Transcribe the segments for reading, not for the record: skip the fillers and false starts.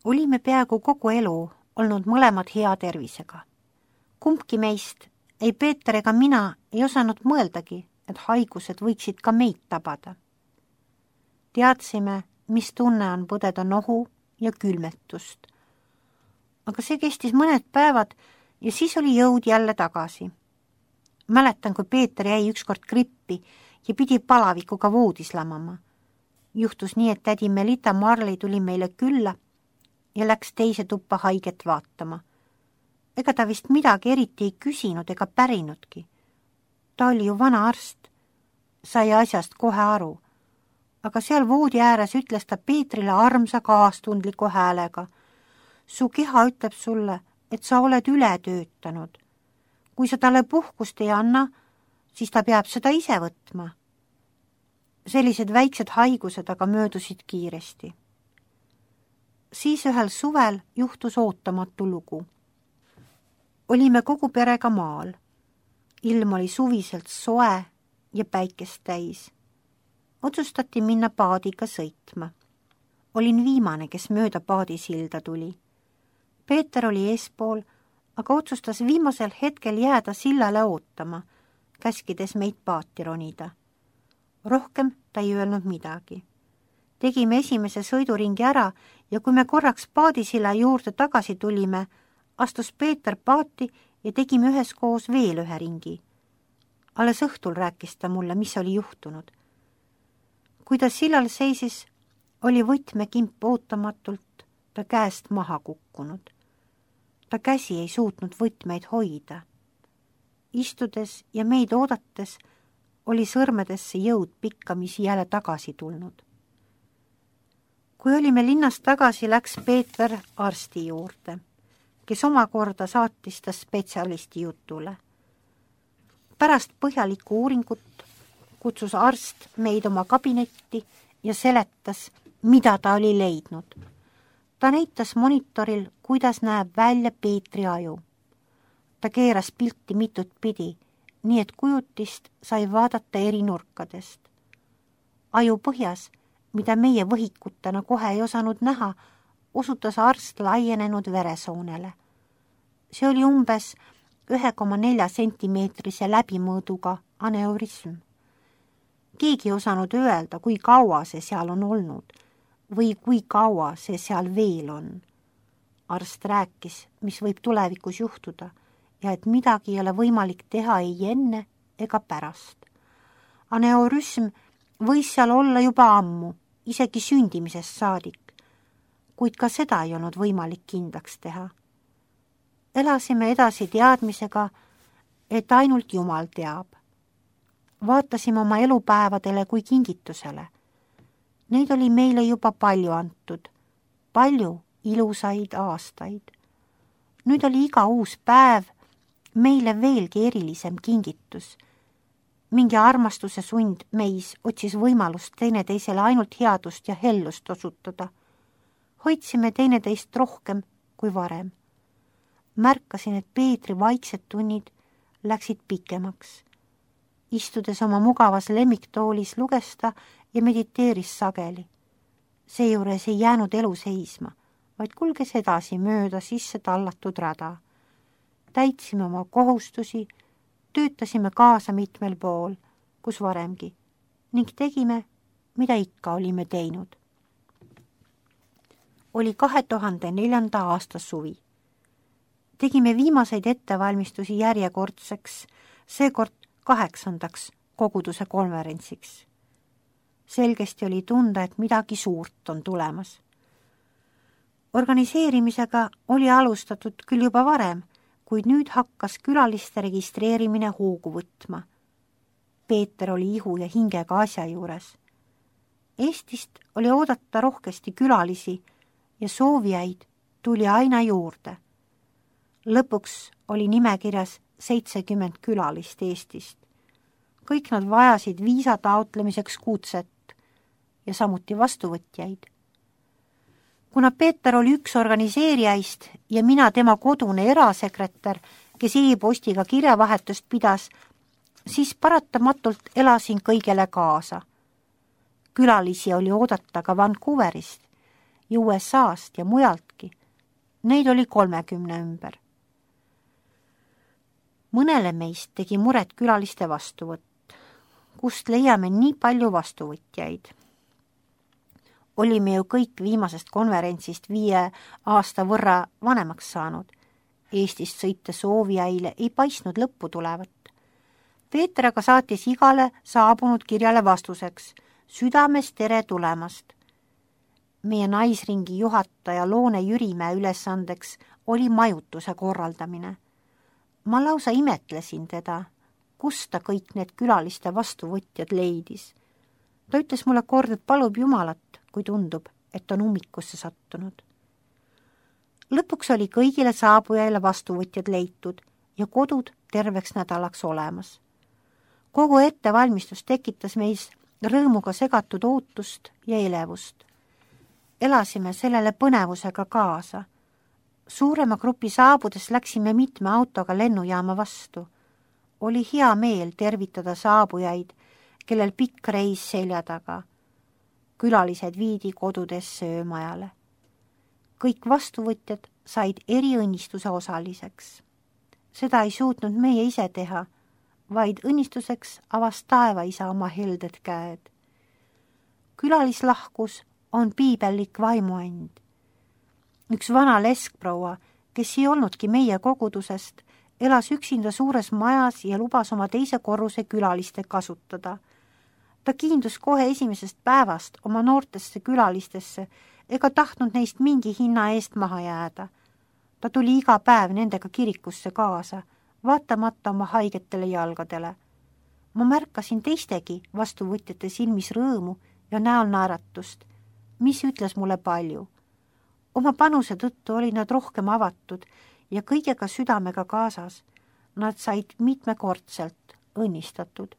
Olime peaaegu kogu elu olnud mõlemad hea tervisega. Kumbki meist, ei Peeter ega mina, ei osanud mõeldagi, et haigused võiksid ka meid tabada. Teadsime, mis tunne on põdeda nohu ja külmetust. Aga see kestis mõned päevad ja siis oli jõud jälle tagasi. Mäletan, kui Peeter jäi ükskord grippi ja pidi palavikuga voodis lamama. Juhtus nii, et tädi Melita Marley tuli meile külla ja läks teise tuppa haiget vaatama. Ega ta vist midagi eriti ei küsinud ega pärinudki. Ta oli ju vana arst, sai asjast kohe aru. Aga seal voodi ääres ütles ta Peetrile armsa kaastundliku häälega. Su keha ütleb sulle, et sa oled üle töötanud. Kui sa talle puhkust ei anna, siis ta peab seda ise võtma. Sellised väiksed haigused aga möödusid kiiresti. Siis ühel suvel juhtus ootamatu lugu. Olime kogu perega maal. Ilm oli suviselt soe ja päikest täis. Otsustati minna paadiga sõitma. Olin viimane, kes mööda paadisilda tuli. Peeter oli eespool, aga otsustas viimasel hetkel jääda sillale ootama, käskides meid paati ronida. Rohkem ta ei öelnud midagi. Tegime esimese sõiduringi ära ja kui me korraks paadisilla juurde tagasi tulime, astus Peeter paati ja tegime üheskoos veel ühe ringi. Alles õhtul rääkis ta mulle, mis oli juhtunud. Kui ta sillal seisis, oli võtmekimp ootamatult ta käest maha kukkunud. Ta käsi ei suutnud võtmeid hoida. Istudes ja meid oodates oli sõrmedesse jõud pikkamisi jälle tagasi tulnud. Kui olime linnast tagasi, läks Peeter arsti juurde, kes omakorda saatis ta spetsialisti jutule. Pärast põhjalikku uuringut kutsus arst meid oma kabinetti ja seletas, mida ta oli leidnud. Ta näitas monitoril, kuidas näeb välja Peetri aju. Ta keeras pilti mitut pidi, nii et kujutist sai vaadata eri nurkadest. Aju põhjas, mida meie võhikutena kohe ei osanud näha, osutas arst laienenud veresoonele. See oli umbes 1,4 sentimeetrise läbimõõduga aneurism. Keegi ei osanud öelda, kui kaua see seal on olnud või kui kaua see seal veel on. Arst rääkis, mis võib tulevikus juhtuda ja et midagi ei ole võimalik teha ei enne ega pärast. Aneurism võis seal olla juba ammu, isegi sündimisest saadik, kuid ka seda ei olnud võimalik kindlaks teha. Elasime edasi teadmisega, et ainult Jumal teab. Vaatasime oma elupäevadele kui kingitusele. Neid oli meile juba palju antud, palju ilusaid aastaid. Nüüd oli iga uus päev meile veelgi erilisem kingitus. Mingi armastuse sund meis otsis võimalust teineteisele ainult headust ja hellust osutada. Hoidsime teineteist rohkem kui varem. Märkasin, et Peetri vaiksed tunnid läksid pikemaks. Istudes oma mugavas lemmiktoolis luges ta ja mediteeris sageli. Seejuures ei jäänud elu seisma, vaid kulges edasi mööda sisse tallatud rada. Täitsime oma kohustusi, töötasime kaasa mitmel pool, kus varemgi, ning tegime, mida ikka olime teinud. Oli 2004. aasta suvi. Tegime viimaseid ettevalmistusi järjekordseks, seekord 8. koguduse konverentsiks. Selgesti oli tunda, et midagi suurt on tulemas. Organiseerimisega oli alustatud küll juba varem, kuid nüüd hakkas külaliste registreerimine hoogu võtma. Peeter oli ihu ja hingega asja juures. Eestist oli oodata rohkesti külalisi ja soovijaid tuli aina juurde. Lõpuks oli nimekirjas 70 külalist Eestist. Kõik nad vajasid viisa taotlemiseks kutset ja samuti vastuvõtjaid. Kuna Peeter oli üks organiseerijaist ja mina tema kodune erasekretär, kes e-postiga kirjavahetust pidas, siis paratamatult elasin kõigele kaasa. Külalisi oli oodata ka Vancouverist ja USA-st ja mujaltki. Neid oli 30 ümber. Mõnele meist tegi muret külaliste vastuvõtt, kust leiame nii palju vastuvõtjaid. Olime ju kõik viimasest konverentsist 5 aasta võrra vanemaks saanud. Eestist sõite soovijaile ei paistnud lõppu tulevat. Peeter aga saatis igale saabunud kirjale vastuseks südames tere tulemast. Meie naisringi juhataja Loone Jürimäe ülesandeks oli majutuse korraldamine. Ma lausa imetlesin teda, kust ta kõik need külaliste vastuvõtjad leidis. Ta ütles mulle kord, et palub Jumalat, kui tundub, et on ummikusse sattunud. Lõpuks oli kõigile saabujaile vastuvõtjad leitud ja kodud terveks nädalaks olemas. Kogu ettevalmistus tekitas meis rõõmuga segatud ootust ja elevust. Elasime sellele põnevusega kaasa. Suurema grupi saabudes läksime mitme autoga lennujaama vastu. Oli hea meel tervitada saabujaid, kellel pikk reis selja taga. Külalised viidi kodudes söömajale. Kõik vastuvõtjad said eriõnnistuse osaliseks. Seda ei suutnud meie ise teha, vaid õnnistuseks avas taevaisa oma helded käed. Külalislahkus on piibellik vaimuand. Üks vana leskproua, kes ei olnudki meie kogudusest, elas üksinda suures majas ja lubas oma teise korruse külaliste kasutada. Ta kiindus kohe esimesest päevast oma noortesse külalistesse ega tahtnud neist mingi hinna eest maha jääda. Ta tuli iga päev nendega kirikusse kaasa, vaatamata oma haigetele jalgadele. Ma märkasin teistegi vastuvõtjate silmis rõõmu ja näol naeratust, mis ütles mulle palju. Oma panuse tõttu olid nad rohkem avatud ja kõigega südamega kaasas. Nad said mitmekordselt õnnistatud.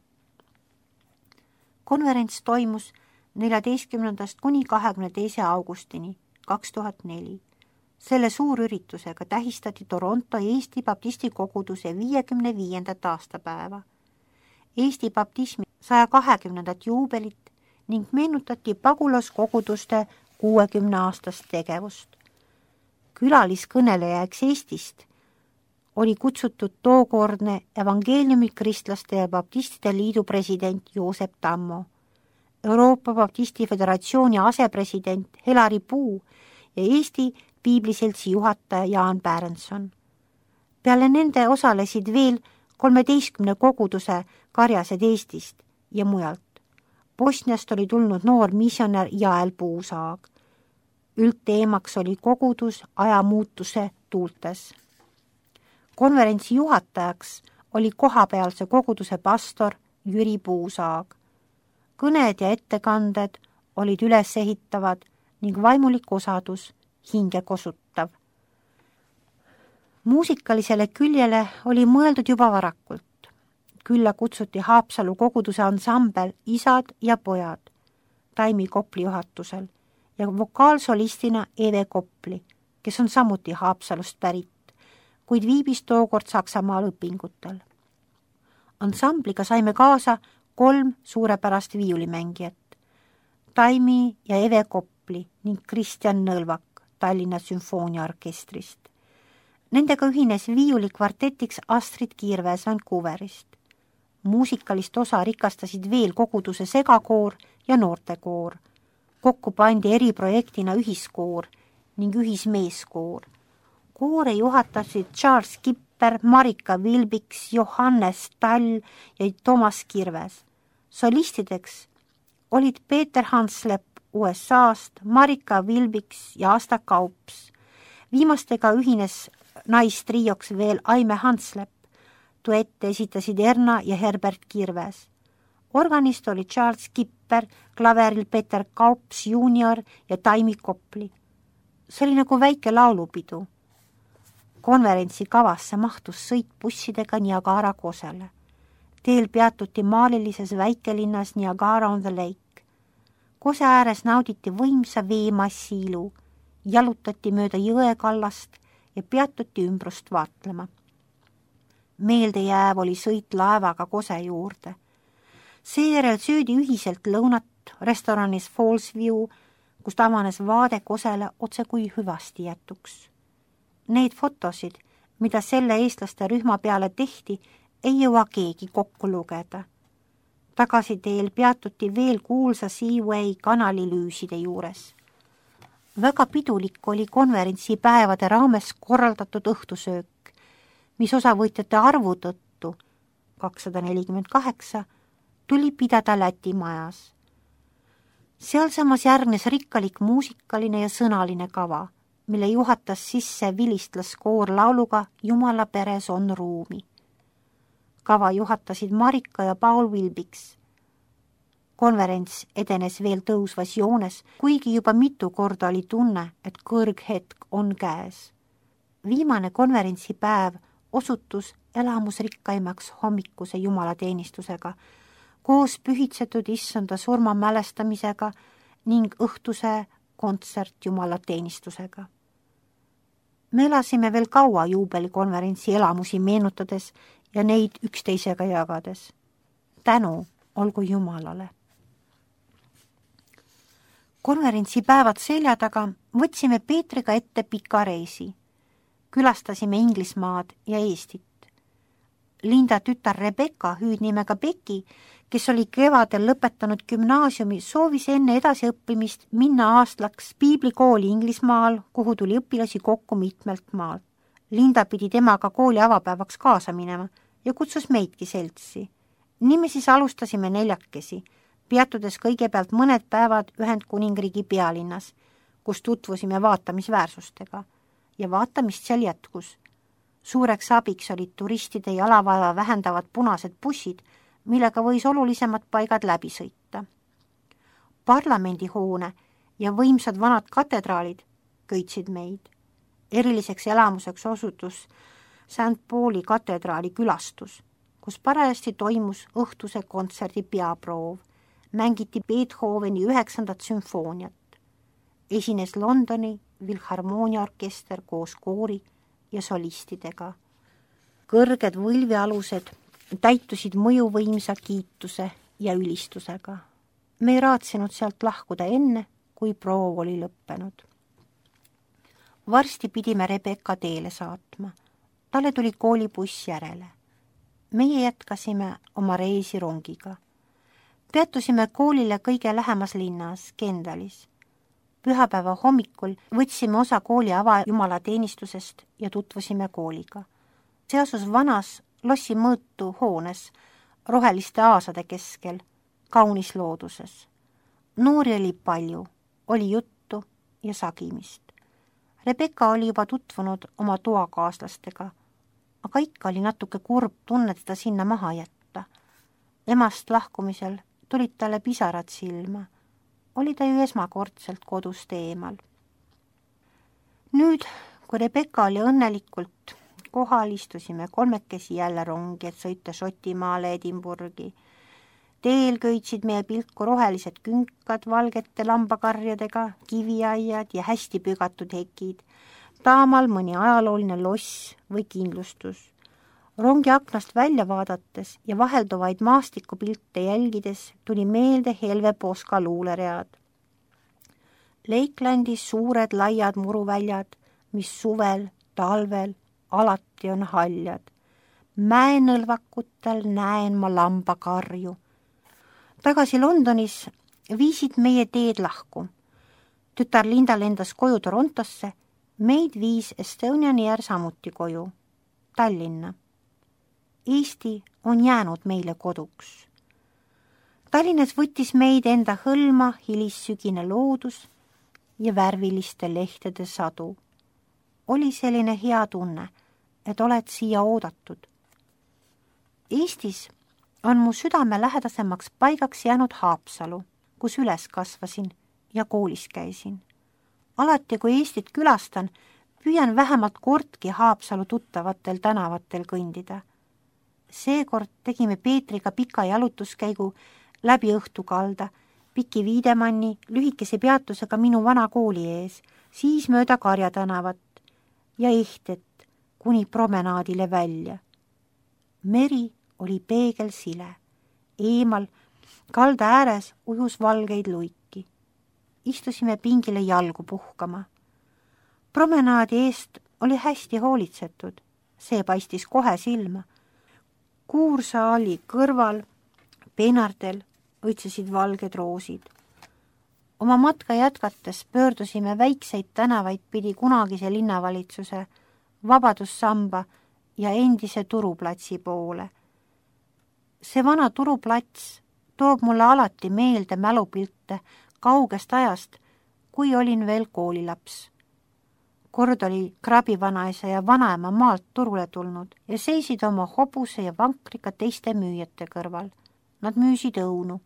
Konverents toimus 14. kuni 22. augustini 2004. Selle suurüritusega tähistati Toronto Eesti Baptisti koguduse 55. aastapäeva, Eesti baptismi 120. juubelit ning meenutati pagulaskoguduste 60-aastast tegevust. Külaliskõnelejaks Eestist oli kutsutud tookordne evangeeliumi kristlaste ja baptistide liidu president Joosep Tammo, Euroopa Baptisti Föderatsiooni asepresident Helari Puu ja Eesti piibliseltsi juhataja Jaan Pärenson. Peale nende osalesid veel 13 koguduse karjased Eestist ja mujalt. Bosniast oli tulnud noor missionär Jael Puusaag. Üldteemaks oli kogudus ajamuutuse tuultes. Konverentsi juhatajaks oli kohapealse koguduse pastor Jüri Puusaag. Kõned ja ettekanded olid ülesehitavad ning vaimulik osadus hinge kosutav. Muusikalisele küljele oli mõeldud juba varakult. Külla kutsuti Haapsalu koguduse ansambel Isad ja pojad Taimi Kopli juhatusel ja vokaalsolistina Eve Kopli, kes on samuti Haapsalust pärit, kuid viibis tookord Saksamaal õpingutel. Ansambliga saime kaasa 3 suurepärast viiulimängijat, Taimi ja Eve Kopli ning Kristjan Nõlvak Tallinna sümfooniaorkestrist. Nendega ühines viiulikvartetiks Astrid Kiirväes Vancouverist. Muusikalist osa rikastasid veel koguduse segakoor ja noortekoor. Kokku pandi eriprojektina ühiskoor ning ühismeeskoor. Koore juhatasid Charles Kipper, Marika Vilbiks, Johannes Tall ja Toomas Kirves. Solistideks olid Peeter Hanslep USA-st, Marika Vilbiks ja Asta Kaups. Viimastega ühines naistrioks veel Aime Hanslep. Duette esitasid Erna ja Herbert Kirves. Organist oli Charles Kipper, klaveril Peter Kaups junior ja Taimi Kopli. See oli nagu väike laulupidu. Konverentsi kavasse mahtus sõit bussidega Niagara kosele. Teel peatuti maalilises väikelinnas Niagara on the Lake. Kose ääres nauditi võimsa veemassi ilu, jalutati mööda jõekallast ja peatuti ümbrust vaatlema. Meeldejääv oli sõit laevaga Kose juurde. Seejärel söödi ühiselt lõunat restoranis Fallsview, kust avanes vaade Kosele otse kui hüvasti jätuks. Neid fotosid, mida selle eestlaste rühma peale tehti, ei jõua keegi kokku lugeda. Tagasiteel peatuti veel kuulsa Seaway kanali lüüside juures. Väga pidulik oli konverentsipäevade raames korraldatud õhtusöök, mis osavõtjate arvu tõttu 248 tuli pidada Läti majas. Sealsamas järgnes rikkalik muusikaline ja sõnaline kava, mille juhatas sisse vilistlaskoor lauluga Jumala peres on ruumi. Kava juhatasid Marika ja Paul Wilbiks. Konverents edenes veel tõusvas joones, kuigi juba mitu korda oli tunne, et kõrghetk on käes. Viimane konverentsipäev osutus elamusrikkaimaks hommikuse jumalateenistusega, koos pühitsetud issanda surma mälestamisega ning õhtuse kontsert jumalateenistusega. Me elasime veel kaua juubelikonverentsi elamusi meenutades ja neid üksteisega jagades. Tänu olgu Jumalale. Konverentsipäevad selja taga võtsime Peetriga ette pika reisi. Külastasime Inglismaad ja Eestit. Linda tütar Rebecca, hüüdnimega Becky, kes oli kevadel lõpetanud gümnaasiumi, soovis enne edasiõppimist minna aastlaks piiblikooli Inglismaal, kuhu tuli õpilasi kokku mitmelt maalt. Linda pidi temaga kooli avapäevaks kaasa minema ja kutsus meidki seltsi. Nii me siis alustasime 4, peatudes kõigepealt mõned päevad Ühendkuningriigi pealinnas, kus tutvusime vaatamisväärsustega ja vaatamist seal jätkus. Suureks abiks olid turistide jalavaeva vähendavad punased bussid, millega võis olulisemad paigad läbi sõita. Parlamendihoone ja võimsad vanad katedraalid köitsid meid. Eriliseks elamuseks osutus St. Pauli katedraali külastus, kus parajasti toimus õhtuse kontserdi peaproov. Mängiti Beethoveni 9. sümfooniat. Esines Londoni Filharmooniaorkester koos koori ja solistidega. Kõrged võlvialused täitusid mõjuvõimsa kiituse ja ülistusega. Me ei raatsinud sealt lahkuda enne, kui proov oli lõppenud. Varsti pidime Rebecca teele saatma. Talle tuli koolibuss järele. Meie jätkasime oma reisi rongiga. Peatusime koolile kõige lähemas linnas, Kendalis. Pühapäeva hommikul võtsime osa kooli avajumalateenistusest ja tutvusime kooliga. See asus vanas lossi mõõtu hoones, roheliste aasade keskel, kaunis looduses. Noori oli palju, oli juttu ja sagimist. Rebecca oli juba tutvunud oma toakaaslastega, aga ikka oli natuke kurb tunne teda sinna maha jätta. Emast lahkumisel tulid talle pisarad silma. Oli ta ju esmakordselt kodust eemal. Nüüd, kui Rebecca oli õnnelikult kohal, istusime 3 jälle rongi, et sõita Šotimaale Edinburgi. Teel köitsid meie pilku rohelised künkad valgete lambakarjadega, kiviaiad ja hästi pügatud hekid. Taamal mõni ajalooline loss või kindlustus. Rongi aknast välja vaadates ja vahelduvaid maastikupilte jälgides tuli meelde Helve Poska luuleread. Lakelandis suured laiad muruväljad, mis suvel, talvel alati on haljad. Mäenõlvakutel näen ma lambakarju. Tagasi Londonis viisid meie teed lahku. Tütar Linda lendas koju Torontosse, meid viis Estonian Air samuti koju, Tallinna. Eesti on jäänud meile koduks. Tallinnas võttis meid enda hõlma hilissügine loodus ja värviliste lehtede sadu. Oli selline hea tunne, et oled siia oodatud. Eestis on mu südame lähedasemaks paigaks jäänud Haapsalu, kus üles kasvasin ja koolis käisin. Alati, kui Eestit külastan, püüan vähemalt kordki Haapsalu tuttavatel tänavatel kõndida. Seekord tegime Peetriga pika jalutuskäigu läbi õhtukalda, Piki Viidemanni lühikese peatusega minu vana kooli ees, siis mööda Karja tänavat ja Ehtet kuni promenaadile välja. Meri oli peegelsile. Eemal kalda ääres ujus valgeid luiki. istusime pingile jalgu puhkama. Promenaadi eest oli hästi hoolitsetud, see paistis kohe silma. Kuursaali kõrval peenardel õitsesid valged roosid. Oma matka jätkates pöördusime väikseid tänavaid pidi kunagise linnavalitsuse, Vabadussamba ja endise turuplatsi poole. See vana turuplats toob mulle alati meelde mälupilte kaugest ajast, kui olin veel koolilaps. Kord oli krabivanaisa ja vanaema maalt turule tulnud ja seisid oma hobuse ja vankriga teiste müüjate kõrval. Nad müüsid õunu.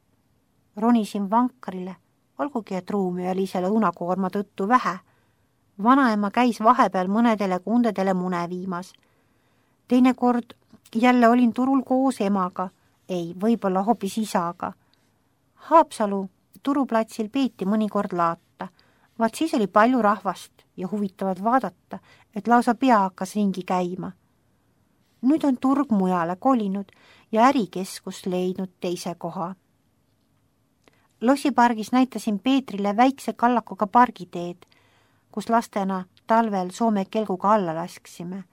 Ronisin vankrile, olgugi et ruumi oli selle õunakoorma tõttu vähe. Vanaema käis vahepeal mõnedele kundedele mune viimas. Teinekord jälle olin turul koos emaga, ei, võib-olla hoopis isaga. Haapsalu turuplatsil peeti mõnikord laata, vaat siis oli palju rahvast ja huvitavad vaadata, et lausa pea hakkas ringi käima. Nüüd on turg mujale kolinud ja ärikeskus leidnud teise koha. Lossipargis näitasin Peetrile väikse kallakuga pargiteed, kus lastena talvel Soome kelguga alla lasksime.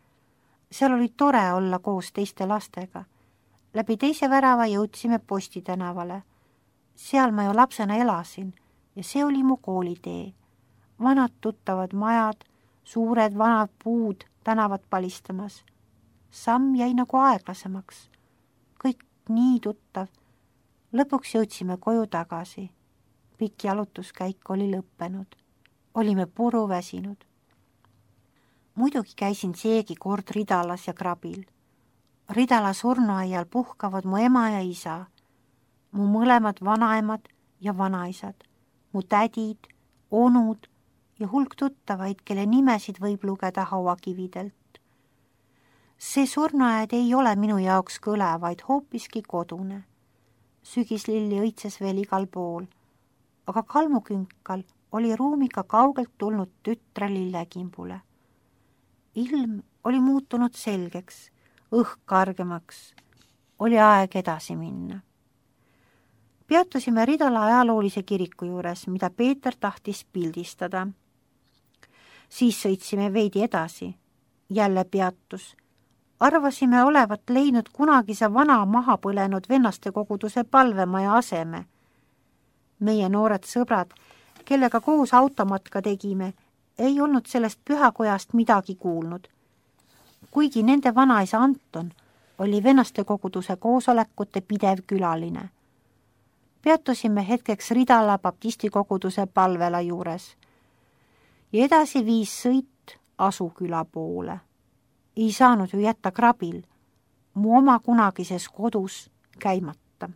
Seal oli tore olla koos teiste lastega. Läbi teise värava jõudsime Posti tänavale. Seal ma ju lapsena elasin ja see oli mu koolitee. Vanad tuttavad majad, suured vanad puud tänavat palistamas. Samm jäi nagu aeglasemaks. Kõik nii tuttav. Lõpuks jõudsime koju tagasi. Pikk jalutuskäik oli lõppenud. Olime puru väsinud. Muidugi käisin seegi kord Ridalas ja Krabil. Ridala surnuaial puhkavad mu ema ja isa, mu mõlemad vanaemad ja vanaisad, mu tädid, onud ja hulk tuttavaid, kelle nimesid võib lugeda hauakividelt. See surnuaed ei ole minu jaoks kõle, vaid hoopiski kodune. Sügislilli õitses veel igal pool, aga kalmukünkal oli ruumiga kaugelt tulnud tütre lillekimbule. Ilm oli muutunud selgeks, õhk kargemaks. Oli aeg edasi minna. Peatusime Ridala ajaloolise kiriku juures, mida Peeter tahtis pildistada. Siis sõitsime veidi edasi. Jälle peatus. Arvasime olevat leidnud kunagise vana maha põlenud vennaste koguduse palvemaja aseme. Meie noored sõbrad, kellega koos automatka tegime, ei olnud sellest pühakojast midagi kuulnud. Kuigi nende vanaisa Anton oli vennaste koguduse koosolekute pidev külaline. Peatusime hetkeks Ridala baptisti koguduse palvela juures ja edasi viis sõit Asuküla poole. Ei saanud ju jätta Krabil, mu oma kunagises kodus käimata.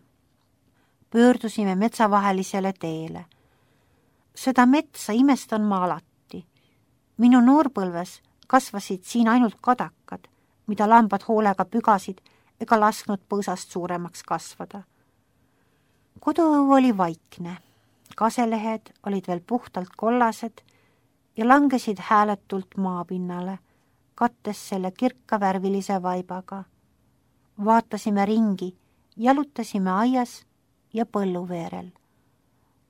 Pöördusime metsavahelisele teele. Seda metsa imestan ma alati. Minu noorpõlves kasvasid siin ainult kadakad, mida lambad hoolega pügasid ega lasknud põõsast suuremaks kasvada. Koduõu oli vaikne, kaselehed olid veel puhtalt kollased ja langesid hääletult maapinnale, kattes selle kirkavärvilise vaibaga. Vaatasime ringi, jalutasime aias ja põlluveerel.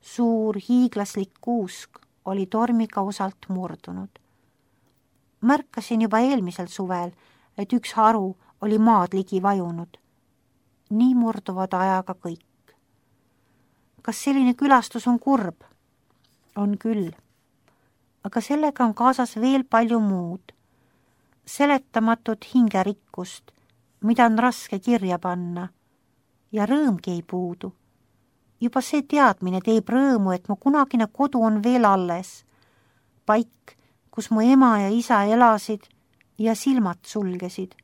Suur hiiglaslik kuusk oli tormiga osalt murdunud. Märkasin juba eelmisel suvel, et üks haru oli maad ligi vajunud. Nii murduvad ajaga kõik. Kas selline külastus on kurb? On küll. Aga sellega on kaasas veel palju muud. Seletamatut hingerikkust, mida on raske kirja panna. Ja rõõmgi ei puudu. Juba see teadmine teeb rõõmu, et mu kunagine kodu on veel alles. Paik, kus mu ema ja isa elasid ja silmad sulgesid.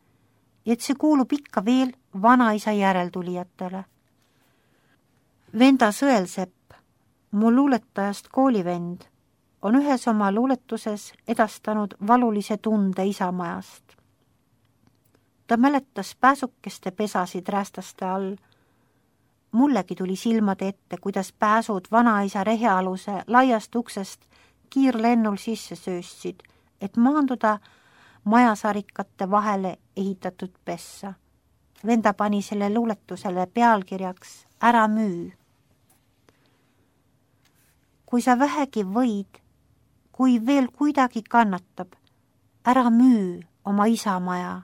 Ja et see kuulub ikka veel vanaisa järeltulijatele. Venda Sõelsepp, mu luuletajast koolivend, on ühes oma luuletuses edastanud valulise tunde isamajast. Ta mäletas pääsukeste pesasid räästaste all. Mullegi tuli silmade ette, kuidas pääsud vanaisa rehealuse laiast uksest kiirlennul sisse sööstsid, et maanduda majasarikate vahele ehitatud pessa. Venda pani selle luuletusele pealkirjaks Ära müü. kui sa vähegi võid, kui veel kuidagi kannatab, ära müü oma isamaja.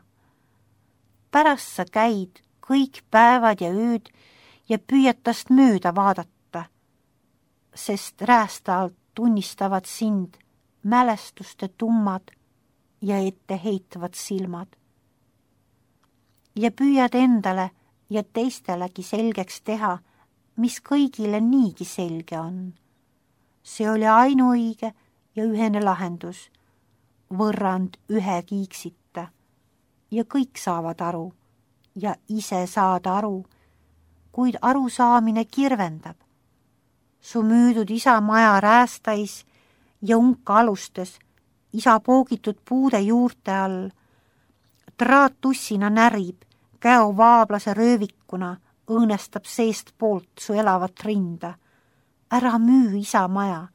Pärast sa käid kõik päevad ja ööd ja püüad tast mööda vaadata, sest räästa alt tunnistavad sind mälestuste tummad ja etteheitvad silmad. Ja püüad endale ja teistelegi selgeks teha, mis kõigile niigi selge on. See oli ainuõige ja ühene lahendus, võrrand ühe kiiksita. Ja kõik saavad aru ja ise saad aru, kuid arusaamine kirvendab. Su müüdud isa maja räästais ja unka alustes, isa poogitud puude juurte all, traatussina närib, käo vaablase röövikuna õõnestab seest poolt su elavat rinda. Ära müü isa maja.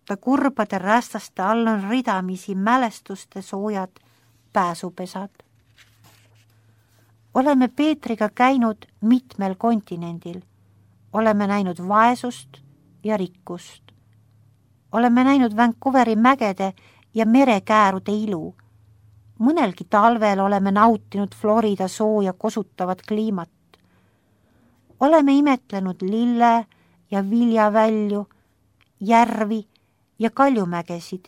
Ta kurbade rästaste all on ridamisi mälestuste soojad pääsupesad. Oleme Peetriga käinud mitmel kontinendil. Oleme näinud vaesust ja rikkust. Oleme näinud Vancouveri mägede ja merekäärude ilu. Mõnelgi talvel oleme nautinud Florida sooja kosutavat kliimat. Oleme imetlenud lille ja viljavälju, järvi ja kaljumägesid.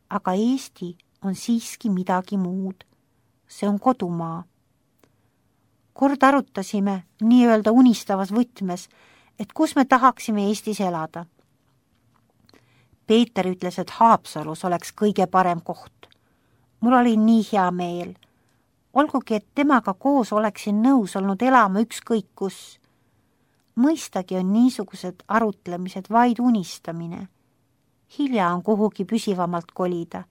Aga Eesti on siiski midagi muud. See on kodumaa. Kord arutasime nii-öelda unistavas võtmes, et kus me tahaksime Eestis elada. Peeter ütles, et Haapsalus oleks kõige parem koht. Mul oli nii hea meel. Olgugi, et temaga koos oleksin nõus olnud elama ükskõik kus. Mõistagi on niisugused arutlemised vaid unistamine. Hilja on kuhugi püsivamalt kolida.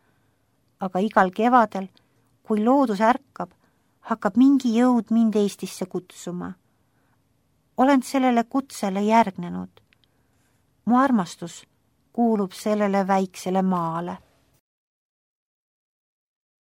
Aga igal kevadel, kui loodus ärkab, hakkab mingi jõud mind Eestisse kutsuma. Olen sellele kutsele järgnenud. Mu armastus kuulub sellele väiksele maale.